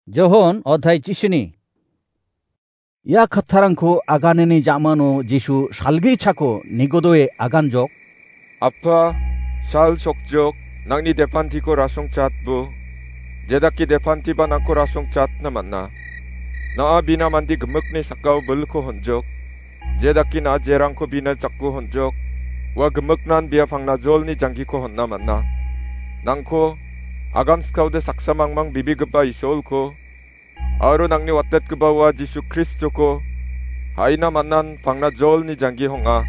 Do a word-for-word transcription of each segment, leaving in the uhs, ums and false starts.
Johon othai chisini. Ia kattarangko aganani jamano Jisu salgi chako nigodoe aganjok. Apa, sal sokjok, nangni depantiko rasong chatbo. Jedake depantiba nangko rasong chatna man·a. Na·a bina mande gimikni sakao bilko honjok. Jedake na·a jerangko bina jako honjok. Ua gimiknan bia pangnajolni janggiko honna man·a. Nangko, agan skaode saksa mangmang bibigipa Isolko, aro nangni watetgipa ua Jisu Kristoko, haina man·an pangnajolni janggi hong·a.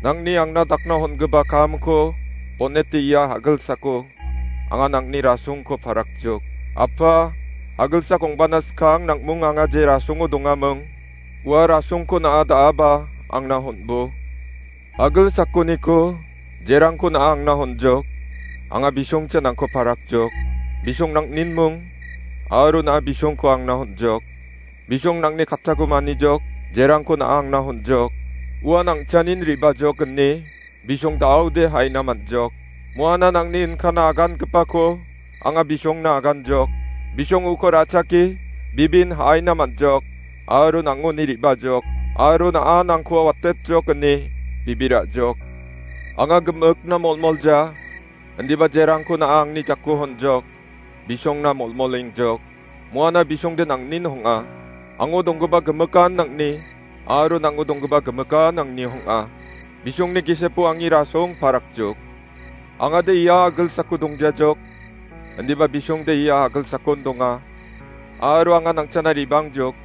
Nangni angna dakna hongipa kamko, bonete ia hagilsako, anga nangni rasongko parakjok. Apa, hagilsak ong·bana skang nang·mung anga je rasongo dongaming, ua rasongko na·a da·aba angna honbo. Agil sakoniko, jerangko na·a angna honjok, anga bisongcha nangko parakjok, bisong nang·ninmung, aro na·a bisongko angna honjok, bisong nangni kattako manijok, jerangko na·a angna honjok, ua nang·chanin re·bajok ine, bisong da·ode haina man·jok, moana nangni inkana agangipako, anga bisongna aganjok. Bisong uko ra·chake, bibin ha·aina man·jok, aro nang·oni re·bajok, aro na·a nangko watetjok ine bibirajok. Anga gimikna molmolja, indiba jerangko na·a angni jako honjok, bisongna molmolengjok. Moana bisongde nang·nin hong·a. Ango donggipa gimikan nang·ni, aro nango donggipa gimikan angni hong·a. Bisongni gisepo angni rasong parakjok. Angade ia agilsako dongjajok, indiba bisongde ia agilsakon donga. Aro anga nangchana re·bangjok,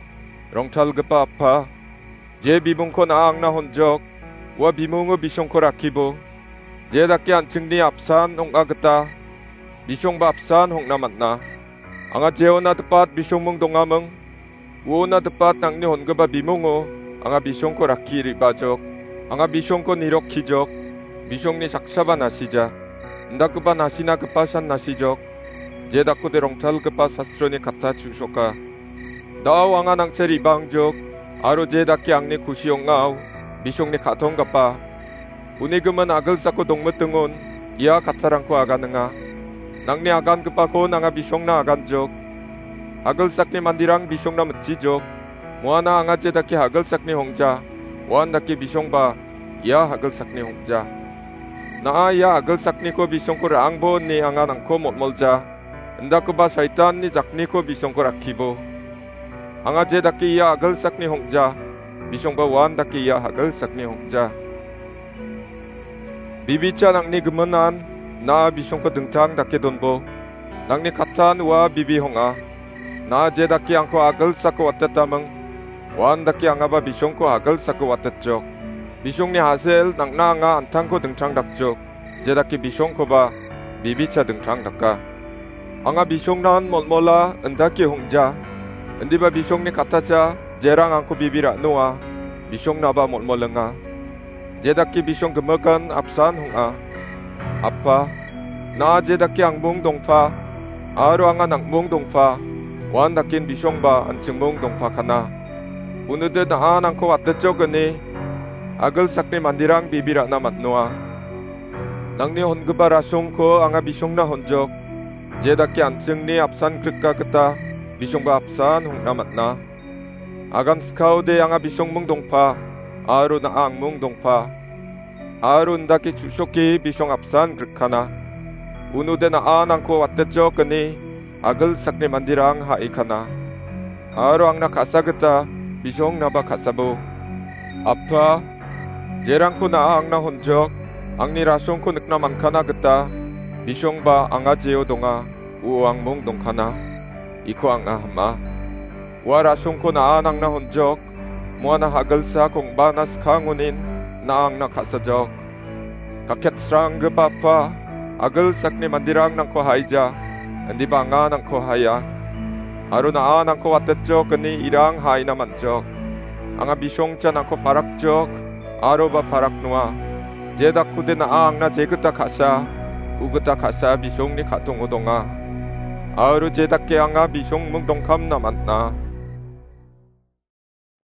rongtalgipa Apa, je bimungko na·a angna honjok, ua bimungo bisongko rakkibo. Je dake an·chingni apsan ong·a gita, bisongba apsan hong·na man·a. Anga jeona dipat bisongmung dongaming, uona dipat nangni hongipa bimungo anga bisongko rakki re·bajok. Anga bisongko nirokkijok, bisongni saksaba nasija. Indakgipa nasina gipasan nasijok, je dakode rongtalgipa sastroni katta chu·soka. Da·o anga nangcha re·bangjok, aro je dake angni kusi ong·ao, bisongni ka·tonggipa. Uni gimin agilsako dongmitingon, ia kattarangko aganinga. Nangni agangipakon anga bisongna aganjok. Agilsakni manderang bisongna mitchijok. Moana anga je dake agilsakni hongja, uan dake bisongba ia agilsakni hongja. Na·a ia agilsakniko bisongko ra·angbo ine anga nangko molmolja. Indakgipa Saitanni jakniko bisongko rakkibo. Anga je dake ia agilsakni hongja, bisongba uan dake ia agilsakni hongja. Bibicha nangni giminan, na·a bisongko dingtang dake donbo. Nangni kattan ua bibi hong·a. Na·a je dake angko agilsako watetaming, uan dake angaba bisongko agilsako watetjok. Bisongni hasel nang·na anga an·tangko dingtang dakjok. Je dake bisongkoba bibicha dingtang daka. Anga bisongnan molmola indake hongja. Indiba bisongni kattacha jerang angko bibi ra·noa, bisongnaba molmolenga. Je dake bisong gimikan apsan hong·a. Apa, na·a je dake angmung dongpa, aro anga nang·mung dongpa, uan daken bisongba an·chingmung dongpakana. Unude na·a nangko watetjok ine, agilsakni manderang bibi ra·na man·noa. Nangni hongipa rasongko anga bisongna honjok. Je dake an·chingni apsan grika gita bisongba apsan hong·na man·a. Agan skaode anga bisongmung dongpa, aro na·a angmung dongpa. Aro indake chu·soke bisong apsan grikkana. Unude na·a nangko watetjok ine agilsakni manderang ha·ikana. Aro angna ka·sa gita bisongnaba ka·sabo. Apa, jerangko na·a angna honjok, angni rasongko nikna mankana gita, bisongba anga jeo donga, uo angmung dongkana, iko anga hima. Ua rasongko na·a angna honjok, moana agilsak ong·bana skangonin na·a angna ka·sajok. Kaketsranggipa Apa, agilsakni manderang nangko haija, indiba anga nangko haia. Aro na·a nangko watetjok ine irang ha·aina man·jok. Anga bisongcha nangko parakjok, aroba paraknoa. Je dakode na·a angna jegita ka·sa, ugita ka·sa bisongni ka·tongo donga. Aro je dake anga bisongmung dongkamna man·a,